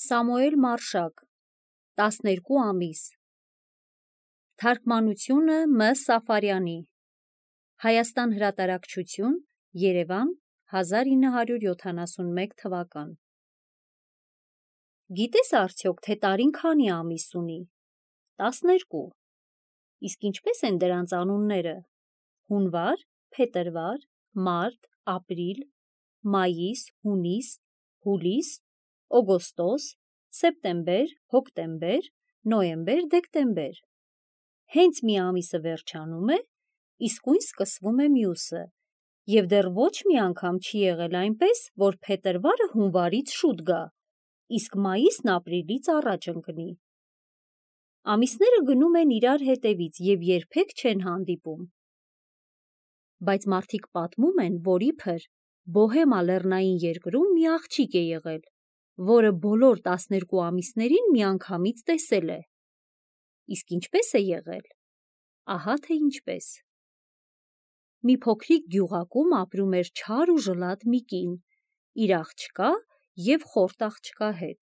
Սամուել Մարշակ 12 ամիս Թարգմանությունը Մ. Սաֆարյանի Հայաստան հրատարակչություն Երևան 1971 թվական Գիտես արդյոք, թե տարին քանի ամիս ունի: 12 Իսկ ինչպես են դրանց անունները: Հունվար, փետրվար, մարտ, ապրիլ, մայիս, հունիս, հուլիս, օգոստոս, սեպտեմբեր, հոկտեմբեր, նոյեմբեր, դեկտեմբեր: Հենց մի ամիսը վերջանում է, իսկույն սկսվում է մյուսը, և դեռ ոչ մի անգամ չի եղել այնպես, որ փետրվարը հունվարից շուտ գա, իսկ մայիսն ապրիլից առաջ ընկնի: Ամիսները գնում են իրար հետևից և երբեք չեն հանդիպում: Բայց մարդիկ պատմում են, որ իբր Բոհեմա լեռնային երկրում մի աղջիկ է եղել, որը բոլոր 12 ամիսներին միանգամից տեսել է: Իսկ ինչպես է եղել: Ահա թե ինչպես: Մի փոքրիկ գյուղակում ապրում էր չար ու ժլատ մի կին, իր աղջկա և խորտ աղջկա հետ: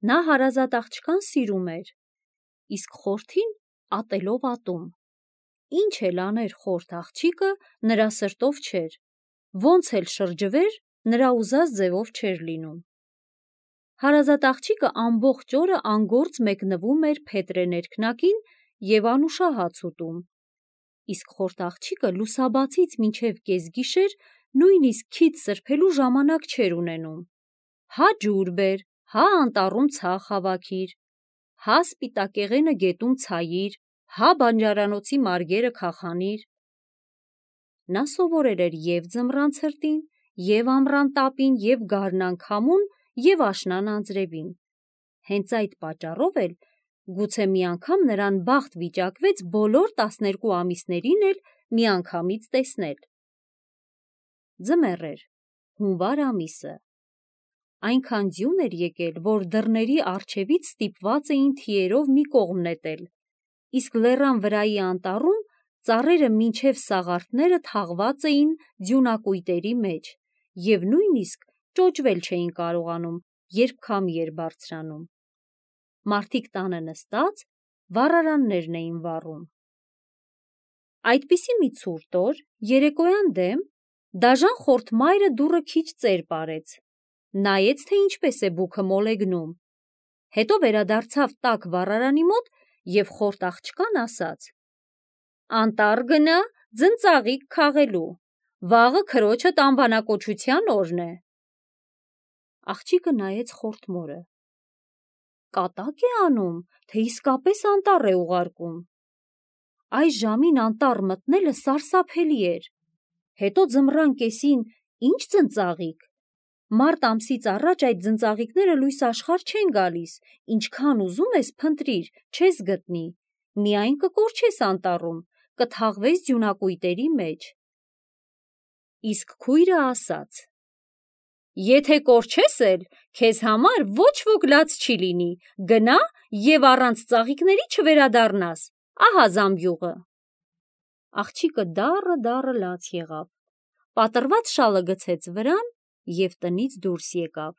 Նա հարազատ աղջկան սիրում էր, իսկ խորթին ատելով ատում: Ինչ էլ աներ խորթ աղջիկը, նրա սրտով չէր, ոնց էլ շրջվեր, նրա ուզած ձևով չէր լինում: Հարազատ աղջիկը ամբողջ օրը անգործ մեկնվում էր փետրե ներքնակին և անուշահաց ուտում, իսկ խորթ աղջիկը լուսաբացից մինչև կեսգիշեր նույնիսկ քիթ սրբելու ժամանակ չէր ունենում: Հա ջուր բեր, հա անտառում ցախ հավաքիր, հա սպիտակեղենը գետում ցայիր, հա բանջարանոցի մարգերը քախանիր: Նա սովորել էր և ձմռան ցրտին, և ամռան տապին, և գարնան քամուն և աշնան անձրևին: Հենց այդ պատճառով էլ գուցե մի անգամ նրան բախտ վիճակվեց բոլոր 12 ամիսներին էլ միանգամից տեսնել: Ձմեռ էր, հունվար ամիսը: Այնքան ձյուն էր եկել, որ դռների առջևից ստիպված էին թիերով մի կողմ նետել, իսկ լեռան վրայի անտառում ծառերը մինչև սաղարթները թաղված էին ձյունակույտերի մեջ և նույնիսկ ճոճվել չէին կարողանում, երբ քամի էր բարձրանում: Մարդիկ տանը նստած վառարաններն էին վառում: Այդպիսի մի ցուրտ օր, երեկոյան դեմ, դաժան խորթ մայրը դուռը քիչ ծեր պարեց, նայեց, թե ինչպես է բուքը մոլեգնում, հետո վերադարձավ տաք վառարանի մոտ և խորթ աղջկան ասաց. «Անտառ գնա ձնծաղիկ քաղելու, վաղը քրոջդ անվանակոչության օրն է»: Աղջիկը նայեց խորթ մորը: Կատա՞կ է անում, թե իսկապես անտառ է ուղարկում: Այս ժամին անտառ մտնելը սարսափելի էր: Հետո ձմռան կեսին ի՞նչ ձնծաղիկ: Մարտ ամսից առաջ այդ ձնծաղիկները լույս աշխարհ չեն գալիս, ինչքան ուզում ես փնտրիր, չես գտնի, միայն կկորչես անտառում, կթաղվես ձյունակույտերի մեջ: Իսկ քույրը ասաց. «Եթե կորչես էլ, քեզ համար ոչ ոք լաց չի լինի, գնա և առանց ծաղիկների չվերադառնաս, ահա զամբյուղը»: Աղջիկը դառը լաց եղավ, պատռված շալը գցեց վրան և տնից դուրս եկավ: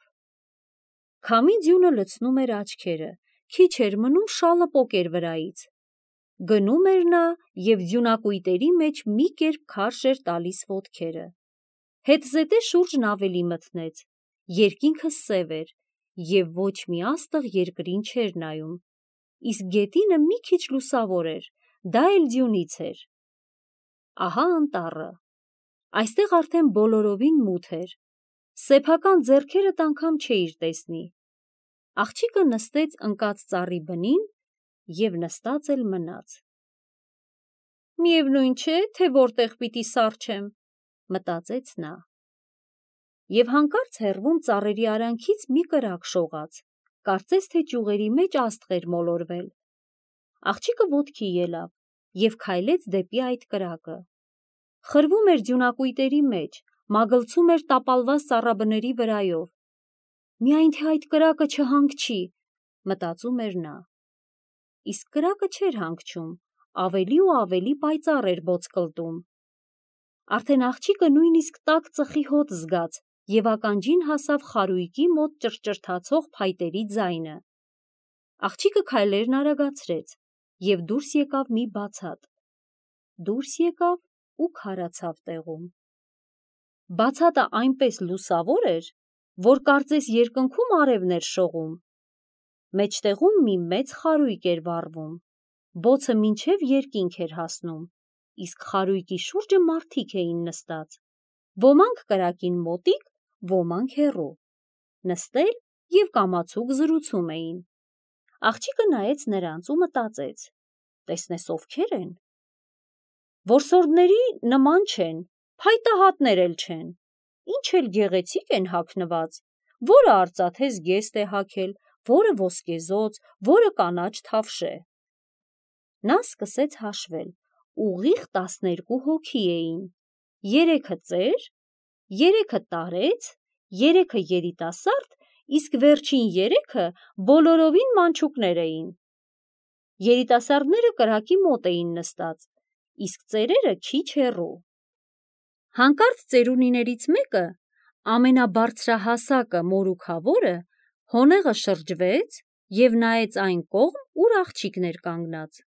Քամի ձյունը լցնում էր աչքերը, քիչ էր մնում շալը պոկեր վրայից: Գնում էր նա և ձյունակույտերի մեջ մի կերպ քարշ էր տալիս ոտքերը: Հետզհետե շուրջն ավելի մթնեց, երկինքը սև էր և ոչ մի աստղ երկրին չէր նայում, իսկ գետինը մի քիչ լուսավոր էր, դա էլ ձյունից էր: Ահա անտառը: Այստեղ արդեն բոլորովին մութ էր, սեփական ձեռքերդ անգամ չէիր տեսնի: Աղջիկը նստեց ընկած ծառի բնին և նստած էլ մնաց: Միևնույն չէ, թե որտեղ պիտի սառչեմ, մտածեց նա: Եվ հանկարծ հեռվում ծառերի արանքից մի կրակ շողաց, կարծես թե ճյուղերի մեջ աստղ էր մոլորվել: Աղջիկը ոտքի ելավ և քայլեց դեպի այդ կրակը: Խրվում էր ձյունակույտերի մեջ, մագլցում էր տապալված ծառաբների վրայով: Միայն թե այդ կրակը չհանգչի, մտածում էր նա: Իսկ կրակը չէր հանգչում, ավելի ու ավելի պայծառ էր բոցկլտում: Արդեն աղջիկը նույնիսկ տաք ծխի հոտ զգաց և ականջին հասավ խարույկի մոտ ճռճռթացող փայտերի ձայնը։ Աղջիկը քայլերն արագացրեց և դուրս եկավ մի բացատ։ Դուրս եկավ ու քարացավ տեղում։ Բացատը այնպես լուսավոր էր, որ կարծես երկնքում արևն էր շողում։ Մեջտեղում մի մեծ խարույկ էր վառվում, բոցը մինչև երկինք էր հասնում, իսկ խարույկի շուրջը մարդիկ էին նստած, ոմանք կրակին մոտիկ, ոմանք հեռու, նստել և կամացուկ զրուցում էին։ Աղջիկը նայեց նրանց ու մտածեց. տեսնես ովքեր են։ Որսորդների նման չեն, փայտահատներ էլ չեն, ինչ էլ գեղեցիկ են հագնված, որը արծաթե զգեստ է հագել, որը ոսկեզոծ, որը կանաչ թավշե։ Նա սկսեց հաշվել, ուղիղ 12 հոգի էին, 3-ը ծեր, 3-ը տարեց, 3-ը երիտասարդ, իսկ վերջին 3-ը բոլորովին մանչուկներ էին։ Երիտասարդները կրակի մոտ էին նստած, իսկ ծերերը քիչ հեռու։ Հանկարծ ծերունիներից մեկը, ամենաբարձրահասակը մորուքավորը, հոնեղը շրջվեց և նայեց այն կողմ, ուր աղջիկն էր կանգնած։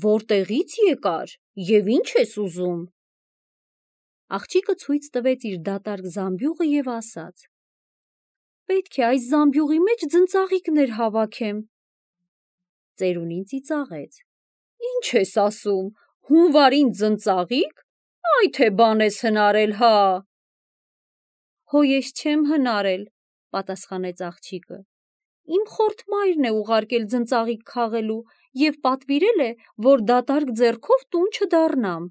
Որտեղի՞ց եկար և ի՞նչ ես ուզում։ Աղջիկը ցույց տվեց իր դատարկ զամբյուղը և ասաց. պետք է այս զամբյուղի մեջ ձնծաղիկներ հավաքեմ։ Ծերունին ծիծաղեց. ինչ ես ասում, հունվարին ձնծաղի՞կ, այ թե բան ես հնարել, հա։ Հո ես չեմ հնարել, պատասխանեց աղջիկը, իմ խորթ մայրն է ուղարկել ձնծաղիկ քաղելու և պատվիրել է, որ դատարկ ձեռքով տուն չդառնամ։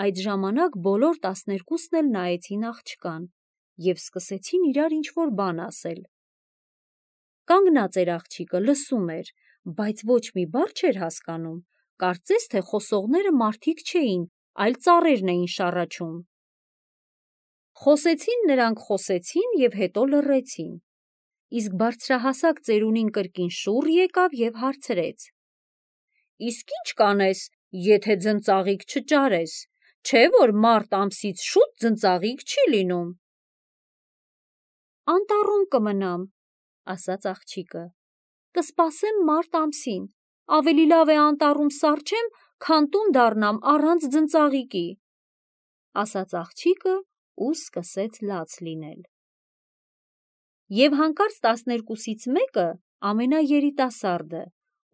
Այդ ժամանակ բոլոր 12-ն էլ նայեցին աղջկան և սկսեցին իրար ինչ-որ բան ասել։ Կանգնած էր աղջիկը, լսում էր, բայց ոչ մի բառ չէր հասկանում, կարծես թե խոսողները մարդիկ չէին, այլ ծառերն էին շառաչում։ Նրանք խոսեցին և հետո լռեցին, իսկ բարձրահասակ ծերունին կրկին շուռ եկավ և հարցրեց. իսկ ի՞նչ կանես, եթե ձնծաղիկ չճարես, չէ՞ որ մարտ ամսից շուտ ձնծաղիկ չի լինում։ Անտառում կմնամ, ասաց աղջիկը, կսպասեմ մարտ ամսին, ավելի լավ է անտառում սառչեմ, քան տուն դառնամ առանց ձնծաղիկի, ասաց աղջիկը ու սկսեց լաց լինել։ Եվ հանկարծ 12-ից մեկը, ամենաերիտասարդը,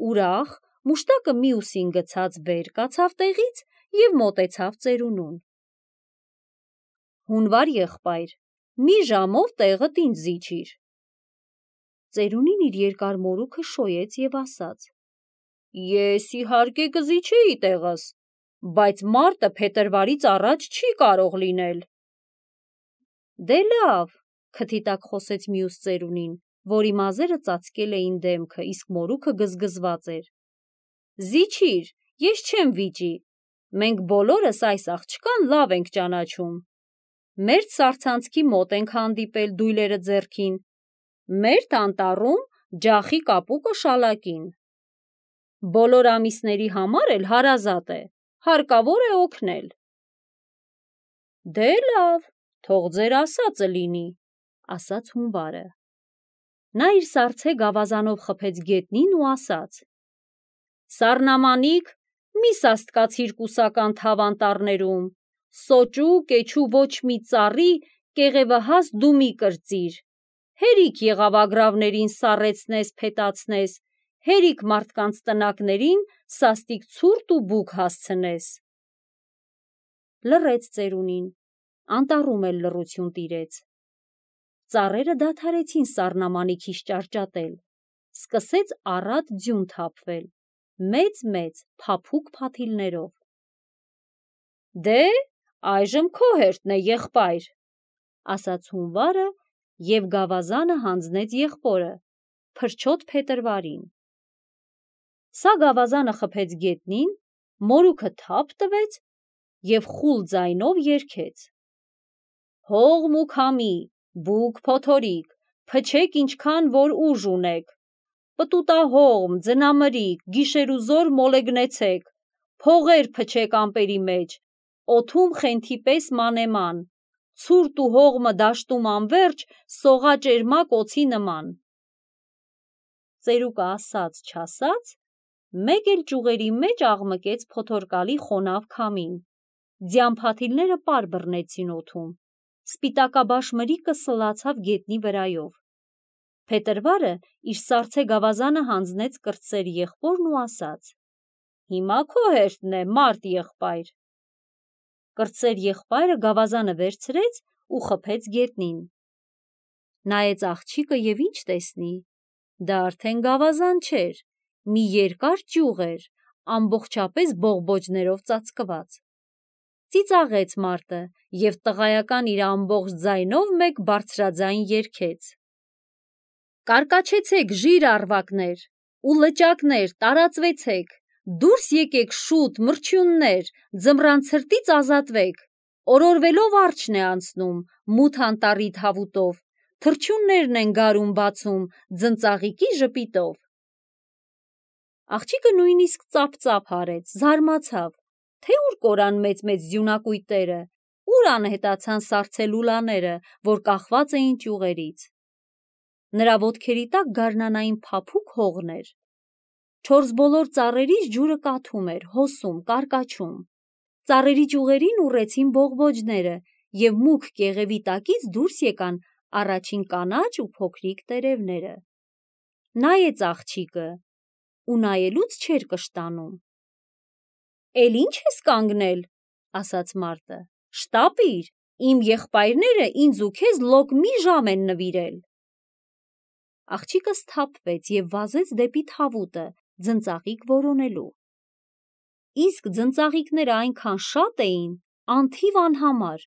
ուրախ, մուշտակը մյուսին գցած վեր կացավ տեղից և մոտեցավ ծերունուն։ Հունվար եղբայր, մի ժամով տեղդ ինձ զիջիր։ Ծերունին իր երկար մորուքը շոյեց և ասաց. ես իհարկե կզիջեի տեղս, բայց մարտը փետրվարից առաջ չի կարող լինել։ Դե լավ, քթի տակ խոսեց մյուս ծերունին, որի մազերը ծածկել էին դեմքը, իսկ մորուքը գզգզված էր։ Զիջիր, ես չեմ վիճի, մենք բոլորս այս աղջկան լավ ենք ճանաչում։ Մերթ սառցանցքի մոտ ենք հանդիպել դույլերը ձեռքին, մերթ անտառում ջախի կապուկը շալակին։ Բոլոր ամիսների համար էլ հարազատ է, հարկավոր է օգնել։ Դե լավ, թող ձեր ասածը լինի, ասաց հունվարը։ Նա իր սառցե գավազանով խփեց գետնին ու ասաց. սառնամանիք, մի սաստկացիր կուսական թավ անտառներում, սոճու, կեչու ոչ մի ծառի, կեղևահաս դու մի կրծիր, հերիք եղավագրավներին սառեցնես, փետացնես, հերիք մարդկանց տնակներին սաստիկ ցուրտ ու բուք հասցնես։ Լռեց ծերունին, անտառում էլ լռություն տիրեց։ Ծառերը դադարեցին սառնամանիքից ճարճատել, սկսեց առատ ձյուն թափվել, մեծ-մեծ, փափուկ փաթիլներով։ Դե, այժմ քո հերթն է, եղբայր, ասաց հունվարը և գավազանը հանձնեց եղբորը, փրչոտ Փետրվարին։ Սա գավազանը խփեց գետնին, մորուքը թափ տվեց և խուլ ձայնով երգեց. հողմ ու քամի, բուք փոթորիկ, փչեք ինչքան որ ուժ ունեք, պտուտահողմ, ձնամրիկ, գիշերուզօր մոլեգնեցեք, փողեր փչեք ամպերի մեջ, օդում խենթի պես մանեման, ցուրտ ու հողմը դաշտում անվերջ, սողա ճերմակ օձի նման։ Ծերուկը ասաց չասաց, մեկ էլ ճյուղերի մեջ աղմկեց փոթորկալի խոնավ քամին, ձյան փաթիլները պար բռնեցին օդում, սպիտակաբաշ մրիկը սլացավ գետնի վրայով։ Փետրվարը իր սառցե գավազանը հանձնեց կրտսեր եղբորն ու ասաց. «Հիմա քո հերթն է, մարդ եղբայր»։ Կրտսեր եղբայրը գավազանը վերցրեց ու խփեց գետնին։ Նայեց աղջիկը և ինչ տեսնի, դա արդեն գավազան չէր, մի երկար ճյուղ էր, ամբողջապես բողբոջներով ծածկված։ Ծիծաղեց մարդը և տղայական իր ամբողջ ձայնով մեկ բարձրաձայն երգեց. «Կարկաչեցեք ժիր առվակներ ու լճակներ, տարածվեցեք, դուրս եկեք շուտ, մրջյուններ, ձմռան ցրտից ազատվեք, օրորվելով արջն է անցնում, մութ անտառի թավուտով, թռչուններն են գարուն բացում, ձնծաղիկի ժպիտով»։ Աղջիկը նույնիսկ ծափ-ծափ արեց, զարմացավ, թե ուր կորան մեծ-մեծ ձյունակույտերը, ուր անհետացան սառցե լուլաները, որ կախված էին ճյուղերից։ Նրա ոտքերի տակ գարնանային փափուկ հողն էր։ Չորս բոլոր ծառերից ջուրը կաթում էր, հոսում, կարկաչում։ Ծառերի ճյուղերին ուռեցին բողբոջները և մուգ կեղևի տակից դուրս եկան առաջին կանաչ ու փոքրիկ տերևները։ Նայեց աղջիկը ու նայելուց չէր կշտանում։ «Էլ ինչ ես կանգնել», ասաց մարդը, «շտապիր, իմ եղբայրները ինձ ու քեզ լոկ մի ժամ են նվիրել»։ Աղջիկը սթափվեց և վազեց դեպի թավուտը, ձնծաղիկ որոնելու։ Իսկ ձնծաղիկները այնքան շատ էին, անթիվ անհամար,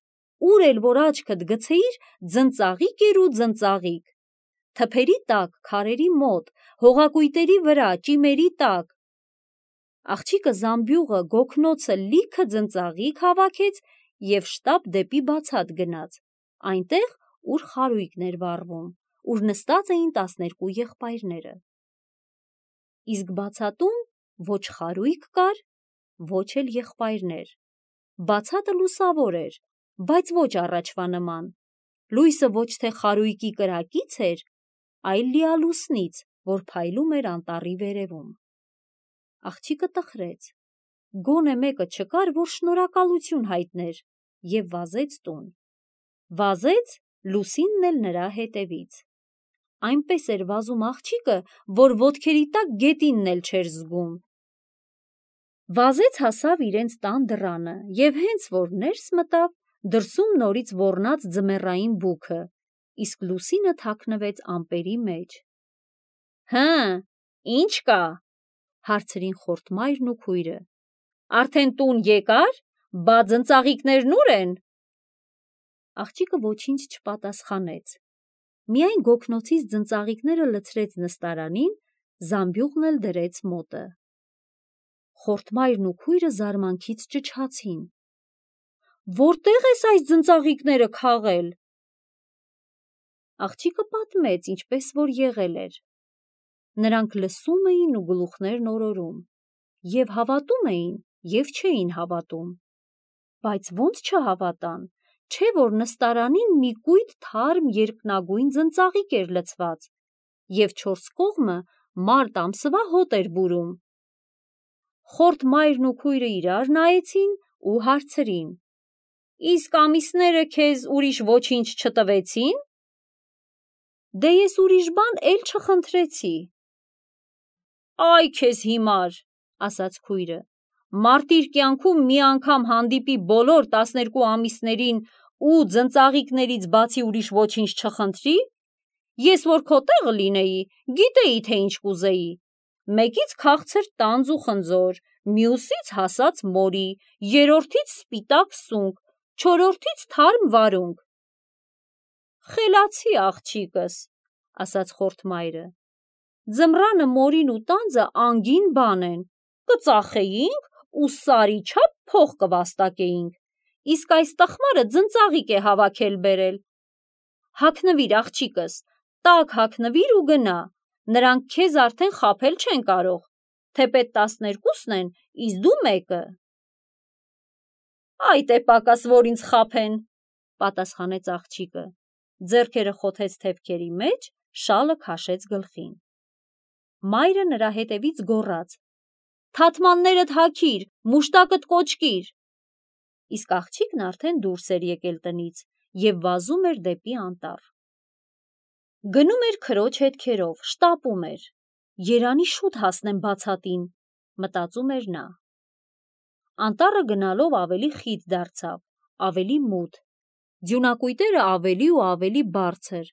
ուր էլ որ աչքդ գցեիր, ձնծաղիկ էր ու ձնծաղիկ։ Թփերի տակ, քարերի մոտ, հողակույտերի վրա, ճիմերի տակ։ Աղջիկը զամբյուղը, գոգնոցը լիքը ձնծաղիկ հավաքեց և շտապ դեպի բացատ գնաց, այնտեղ, ուր խարույկն էր վառվում, ուր նստած էին 12 եղբայրները։ Իսկ բացատում ոչ խարույկ կար, ոչ էլ եղբայրներ։ Բացատը լուսավոր էր, բայց ոչ առաջվա նման։ Լույսը ոչ թե խարույկի կրակից էր, այլ լիալուսնից, որ փայլում էր անտառի վերևում։ Աղջիկը տխրեց, գոնե մեկը չկար, որ շնորհակալություն հայտներ, և վազեց տուն։ Վազեց, լուսինն էլ նրա հետևից։ Այնպես էր վազում աղջիկը, որ ոտքերի տակ գետինն էլ չէր զգում։ Վազեց հասավ իրենց տան դռանը և հենց որ ներս մտավ, դրսում նորից ոռնաց ձմեռային բուքը, իսկ լուսինը թաքնվեց ամպերի մեջ։ «Հը, ի՞նչ կա», հարցրին խորթմայրն ու քույրը։ «Արդեն տուն եկար, բա ձնծաղիկներն ուր են»։ Աղջիկը ոչինչ չպատասխանեց, միայն գոգնոցից ձնծաղիկները լցրեց նստարանին, զամբյուղն էլ դրեց մոտը։ Խորթմայրն ու քույրը զարմանքից ճչացին. «Որտե՞ղ ես այս ձնծաղիկները քաղել»։ Աղջիկը պատմեց, ինչպես որ եղել էր։ Նրանք լսում էին ու գլուխներն օրորում, և հավատում էին, և չէին հավատում։ Բայց ոնց չհավատան, չէ՞ որ նստարանին մի կույտ թարմ երկնագույն ձնծաղիկ էր լցված, և չորս կողմը մարտ ամսվա հոտ էր բուրում։ Խորթմայրն ու քույրը իրար նայեցին ու հարցրին. «Իսկ ամիսները քեզ ուրիշ ոչինչ չտվեցի՞ն»։ «Դե ես ուրիշ բան էլ չխնդրեցի»։ «Այ քեզ հիմար», ասաց քույրը, «մարդ իր կյանքում մի անգամ հանդիպի բոլոր 12 ամիսներին ու ձնծաղիկներից բացի ուրիշ ոչինչ չխնդրի։ Ես որ քո տեղը լինեի, գիտեի, թե ինչ կուզեի. մեկից քաղցր տանձ ու խնձոր, մյուսից հասած մորի, երրորդից սպիտակ սունկ, չորրորդից թարմ վարունգ»։ «Խելացի աղջիկս», ասաց խորթմայրը, «ձմռանը մորին ու տանձը անգին բան են, կծախեինք ու սարի չափ փող կվաստակեինք, իսկ այս տխմարը ձնծաղիկ է հավաքել բերել։ Հագնվիր աղջիկս, տաք հագնվիր ու գնա, նրանք քեզ արդեն խաբել չեն կարող, թեպետ 12-ն են, իսկ դու մեկը»։ «Այդ է պակաս, որ ինձ խաբեն», պատասխանեց աղջիկը, ձեռքերը խոթեց թևքերի մեջ, շալը քաշեց գլխին։ Մայրը նրա հետևից գոռաց. «Թաթմաններդ հագիր, մուշտակդ կոճկիր»։ Իսկ աղջիկն արդեն դուրս էր եկել տնից և վազում էր դեպի անտառ։ Գնում էր քրոջ հետքերով, շտապում էր։ Երանի շուտ հասնեմ բացատին, մտածում էր նա։ Անտառը գնալով ավելի խիտ դարձավ, ավելի մութ, ձյունակույտերը ավելի ու ավելի բարձր,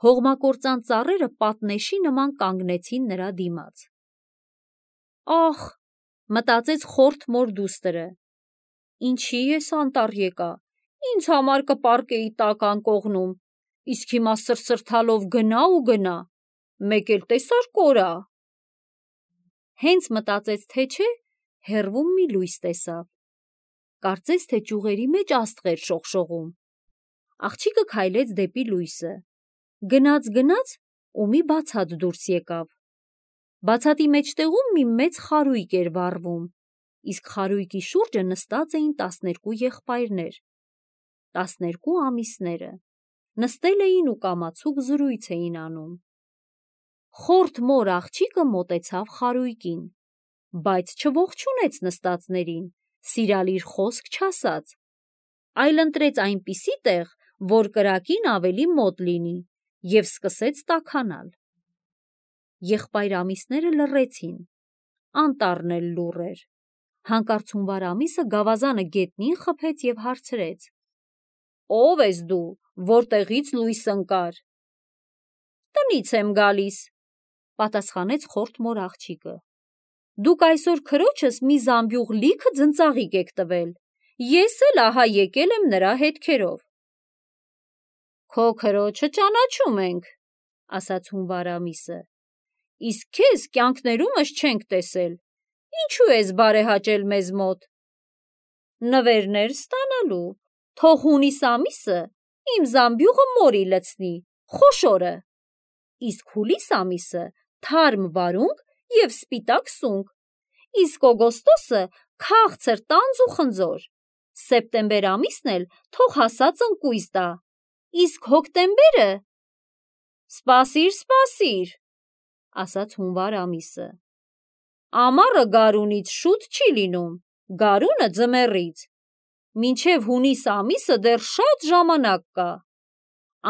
հողմակործան ծառերը պատնեշի նման կանգնեցին նրա դիմաց։ Ախ, մտածեց խորթ մոր դուստրը, ինչի ես անտառ եկա, ինձ համար կպառկեի տաք անկողնում, իսկ հիմա սրսրթալով գնա ու գնա, մեկ էլ տեսար կորա։ Հենց մտածեց, թե չէ, հեռվում մի լույս տեսավ, կարծես թե ճյուղերի մեջ աստղեր շողշողում։ Աղջիկը քայլեց դեպի լույսը, գնաց ու մի բացատ դուրս եկավ։ Բացատի մեջտեղում մի մեծ խարույկ էր վառվում, իսկ խարույկի շուրջը նստած էին 12 եղբայրներ, 12 ամիսները, նստել էին ու կամացուկ զրույց էին անում։ Խորթ մոր աղջիկը մոտեցավ խարույկին, բայց չողջունեց նստածներին, սիրալիր խոսք չասաց, այլ ընտրեց այնպիսի տեղ, որ կրակին ավելի մոտ լինի, և սկսեց տաքանալ։ Եղբայր ամիսները լռեցին, անտառն էլ լուռ էր։ Հանկարծ հունվար ամիսը գավազանը գետնին խփեց և հարցրեց. «Ո՞վ ես դու, որտեղից լույս ընկար»։ «Տնից եմ գալիս», պատասխանեց խորթ մոր աղջիկը։ «Դուք այսօր քրոջս մի զամբյուղ լիքը ձնծաղիկ եք տվել, ես էլ ահա եկել եմ նրա հետքերով»։ «Քո քրոջը ճանաչում ենք», ասաց հունվար ամիսը, «իսկ քեզ կյանքներումս չենք տեսել, ինչու ես բարեհաճել մեզ մոտ»։ «Նվերներ ստանալու, թող հունիս ամիսը իմ զամբյուղը մորի լցնի, խոշորը, իսկ հուլիս ամիսը թարմ վարունգ և սպիտակ սունգ, իսկ օգոստոսը քաղցր տանձ ու խնձոր, սեպտեմբեր ամիսն էլ թող հասած ընկույզ տա, իսկ հոկտեմբերը…»։ «Սպասիր», ասաց հունվար ամիսը, «ամառը գարունից շուտ չի լինում, գարունը ձմեռից, մինչև հունիս ամիսը դեռ շատ ժամանակ կա։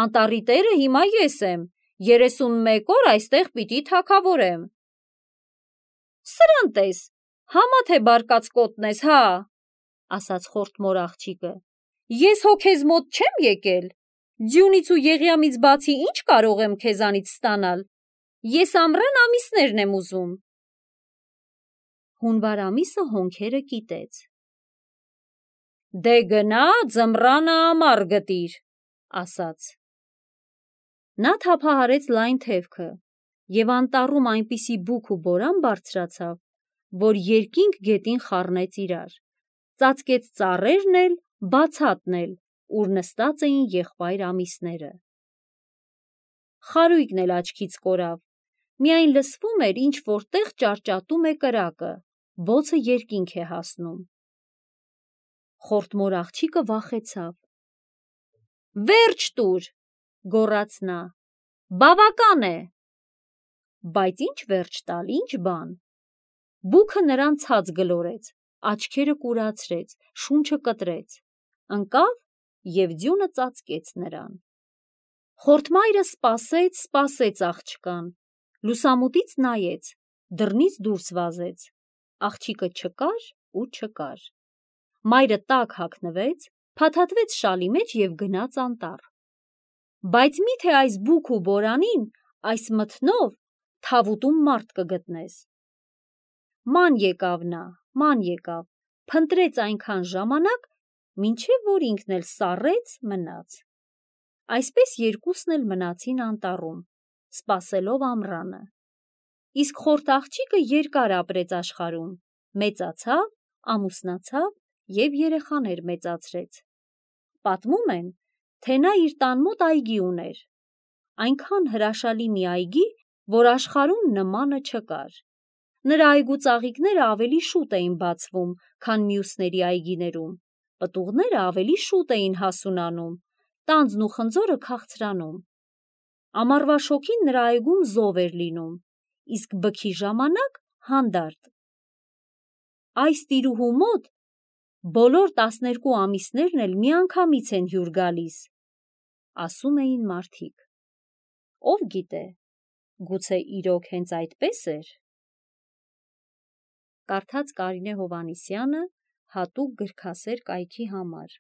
Անտառի տերը հիմա ես եմ, 31 օր այստեղ պիտի թագավորեմ»։ «Սրան տես, համա թե բարկած կոտն ես, հա», ասաց խորթ մոր աղջիկը, «ես հո քեզ մոտ չեմ եկել, ձյունից ու եղյամից բացի ինչ կարող եմ քեզանից ստանալ, ես ամռան ամիսներն եմ ուզում»։ Հունվար ամիսը հոնքերը կիտեց։ «Դե գնա ձմռանը ամառ գտիր», ասաց։ Նա թափահարեց լայն թևքը, և անտառում այնպիսի բուք ու բորան բարձրացավ, որ երկինք գետին խառնեց իրար, ծածկեց ծառերն էլ, բացատն էլ, ուր նստած էին եղբայր ամիսները։ Խարույկն էլ աչքից կորավ, միայն լսվում էր ինչ-որ տեղ ճարճատում է կրակը, բոցը երկինք է հասնում։ Խորթ մոր աղջիկը վախեցավ։ «Վերջ տուր», գոռաց նա, «բավական է»։ Բայց ինչ վերջ տալ, ինչ բան։ Բուքը նրան ցած գլորեց, աչքերը կուրացրեց, շունչը կտրեց, ընկավ և ձյունը ծածկեց նրան։ Խորթմայրը սպասեց աղջկան, լուսամուտից նայեց, դռնից դուրս վազեց, աղջիկը չկար ու չկար։ Մայրը տաք հագնվեց, փաթաթվեց շալի մեջ և գնաց անտառ։ Բայց միթե այս բուք ու բորանին, այս մթնով թավուտում մարդ կգտնես։ Ման եկավ, փնտրեց այնքան ժամանակ, մինչև որ ինքն էլ սառեց, մնաց։ Այսպես երկուսն էլ մնացին անտառում, սպասելով ամռանը։ Իսկ խորթ աղջիկը երկար ապրեց աշխարհում, մեծացավ, ամուսնացավ և երեխաներ մեծացրեց։ Պատմում են, թե նա իր տան մոտ այգի ուներ, այնքան հրաշալի մի այգի, որ աշխարհում նմանը չկար։ Նրա այգու ծաղիկները ավելի շուտ էին բացվում, քան մյուսների այգիներում, պտուղները ավելի շուտ էին հասունանում, տանձն ու խնձորը քաղցրանում։ Ամառվա շոգին նրա այգում զով էր լինում, իսկ բքի ժամանակ հանդարտ։ Այս տիրուհու մոտ բոլոր 12 ամիսներն էլ միանգամից են հյուր գալիս, ասում էին մարդիկ։ Ով գիտե, գուցե իրոք հենց այդպես էր։ Կարդաց Կարինե Հովհաննիսյանը հատուկ գրքասեր կայքի համար։